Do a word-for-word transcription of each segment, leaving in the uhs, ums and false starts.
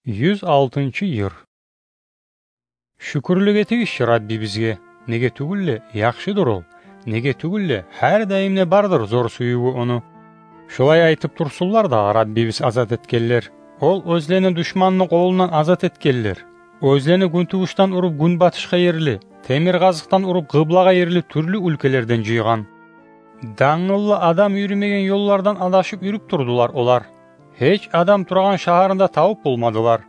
Юз алтынчы йыр. Шюкюрлюк этигиз чи Раббибизге, неге тюгюл де, яхшыдыр Ол, неге тюгюл де, гьар даим де бардыр зор сюювю Ону. Шолай айтып турсунлар дагъы Раббибиз азат этгенлер. Ол оьзлени душманны къолундан азат этгенлер. Оьзлени гюнтувушдан уруп гюнбатышгъа ерли, темир къазыкъдан уруп къыблагъа ерли тюрлю уьлкелерден жыйгъан. Дангыллы адам юрюмеген ёллардан адашып юрюп турдулар олар. Гьеч адам турагъан шагьарны да табып болмадылар.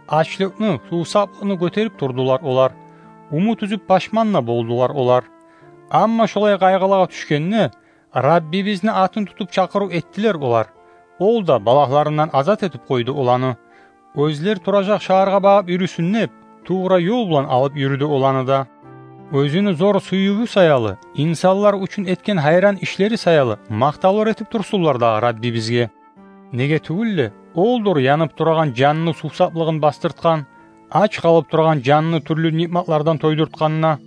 Ачлыкъны, сувсаплыкъны гётерип турдулар олар. Умут уьзюп, пашман да болдулар олар. Амма шолай къайгъылагъа тюшгенде, Раббибизни атын тутуп чакъырыв этдилер олар. Ол да балагьларындан азат этип къойду оланы. Оьзлер туражакъ шагьаргъа багъып юрюсюн деп, тувра ёл булан алып юрюдю оланы да. Оьзюню зор сюювю саялы, инсанлар учун этген гьайран ишлери саялы макътавлар этип турсунлар дагъы Раббибизге. Неге тюгюл де, Олдур янып турагъан жанны сувсаплыгъын басдыртгъан, ач къалып турагъан жанны тюрлю ниъматлардан тойдуртгъан да.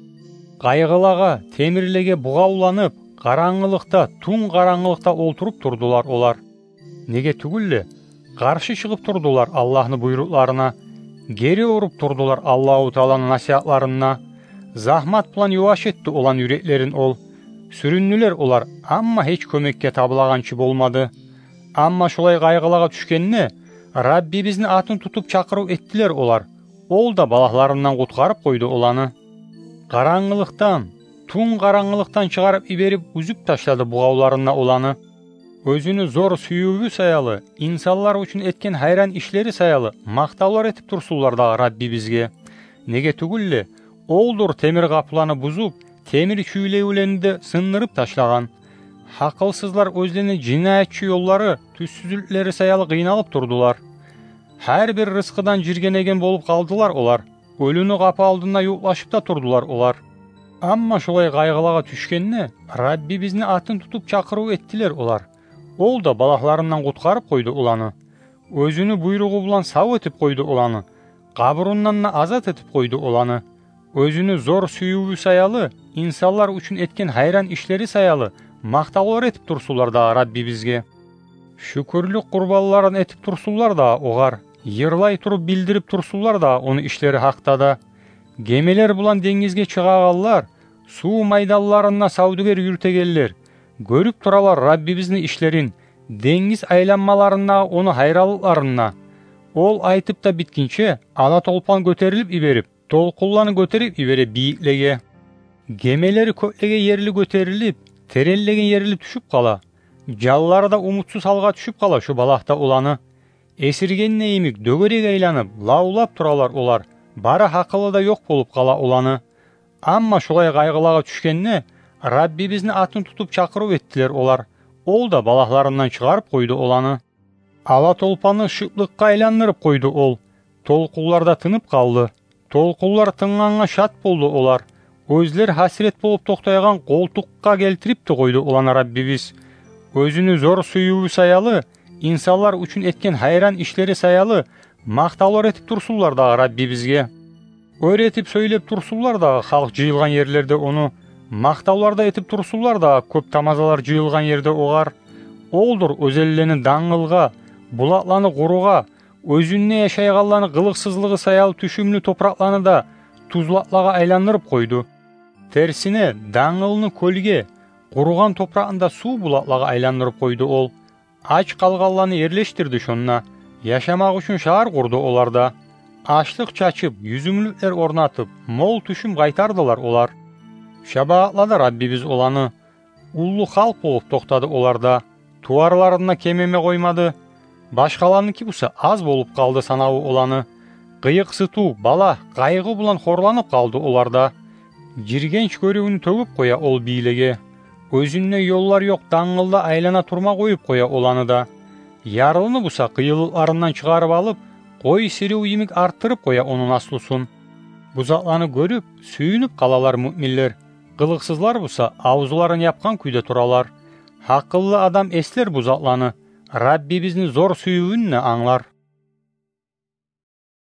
Къайгъылагъа, темирлеге бугъавланып, къарангылыкъда, тюн къарангылыкъда олтуруп турдулар олар. Неге тюгюл де, къаршы чыгъып турдулар Аллагьны буйрукъларына, гери уруп турдулар Аллагьу Тааланы насигьатларына. Загьмат булан юваш этди оланы юреклерин Ол. Сюрюндюлер олар, амма гьеч кёмекге табылагъанчы болмады. Амма шолай къайгъылагъа тюшгенде, Раббибизни атын тутуп чакъырыв этдилер олар. Ол да балагьларындан къутгъарып къойду оланы. Къарангылыкъдан, тюн къарангылыкъдан чыгъарып йиберип, уьзюп ташлады бугъавларында оланы. Оьзюню зор сюювю саялы, инсанлар учун этген гьайран ишлери саялы макътавлар этип турсунлар дагъы Раббибизге. Неге тюгюл де, Олдур темир къапуланы бузуп, темир чюйлевлени де сындырып ташлагъан. Гьакъылсызлар оьзлени жинаятчы ёллары, тюзсюзлюклери саялы къыйналып турдулар. Гьар бир рызкъыдан жиргенеген болуп къалдылар олар. Оьлюню къапу алдында ювукълашып да турдулар олар. Амма шолай къайгъылагъа тюшгенде, Раббибизни атын тутуп чакъырыв этдилер олар. Ол да балагьларындан къутгъарып къойду оланы. Оьзюню буйругъу булан сав этип къойду оланы. Къабурундан да азат этип къойду оланы. Оьзюню зор сюювю саялы, инсанлар учун этген гьайран ишлери саялы макътавлар этип турсунлар дагъы Раббибизге. Шюкюрлюк къурбанларын этип турсунлар дагъы Огъар, йырлай туруп билдирип турсунлар дагъы Ону ишлери гьакъда да. Гемелер булан денгизге чыгъагъанлар, сув майданларында савдюгер юрютегенлер гёрюп туралар Раббибизни ишлерин, денгиз айланмаларындагъы Ону гьайранлыкъларын да. Ол айтып да битгинче, ала толпан гётерилип йиберип, толкъунланы гётерип йибере бийиклеге. Гемелери кёклеге ерли гётерилип, теренлеген ерли тюшюп къала. Жанлары да умутсуз гьалгъа тюшюп къала шо балагьда оланы. Эсиргенде йимик дёгерек айланып, лавлап туралар олар, бары гьакъылы да ёкъ болуп къала оланы. Амма шолай къайгъылагъа тюшгенде, Раббибизни атын тутуп чакъырыв этдилер олар. Ол да балагьларындан чыгъарып къойду оланы. Ала толпаны шыплыкъгъа айландырып къойду Ол. Толкъунлар да тынып къалды. Толкъунлар тынгъангъа шат болду олар. Оьзлер гьасирет болуп токътайгъан къолтукъгъа гелтирип де къойду оланы Раббибиз. Оьзюню зор сюювю саялы, инсанлар учун этген гьайран ишлери саялы макътавлар этип турсунлар дагъы Раббибизге. Оьр этип сёйлеп турсунлар дагъы халкъ жыйылгъан ерлерде Ону, макътавлар да этип турсунлар дагъы кёп тамазалар жыйылгъан ерде Огъар. Олдур оьзенлени дангылгъа, булакъланы къуругъа, оьзюнде яшайгъанланы къылыкъсызлыгъы саялы тюшюмлю топуракъланы да тюзлакълагъа айландырып къойду. Терсине, дангылны кёлге, къуругъан топуракъны да сув булакълагъа айландырып къойду Ол. Ач къалгъанланы ерлешдирди шонда, яшамакъ учун шагьар къурду оларда. Ашлыкъ чачып, юзюмлюклер орнатып, мол тюшюм къайтардылар олар. Шабагъатлады Раббибиз оланы. Уллу халкъ болуп токътады оларда. Туварларын да кемеме къоймады. Башгъаланыки буса аз болуп къалды санаву оланы. Къыйыкъсытыв, балагь, къайгъы булан хорланып къалды оларда. Жиргенч гёрювню тёгюп къоя Ол бийлеге. Оьзюнде ёллар ёкъ дангылда айлана турма къоюп къоя оланы да. Ярлыны буса къыйынлыкъларындан чыгъарып алып, къой сирив йимик артдырып къоя ону наслусун. Бу затланы гёрюп, сююнюп къалалар муъминлер. Къылыкъсызлар буса авзуларын япгъан кюйде туралар. Гьакъыллы адам эслер бу затланы, Раббибизни зор сюювюн де англар.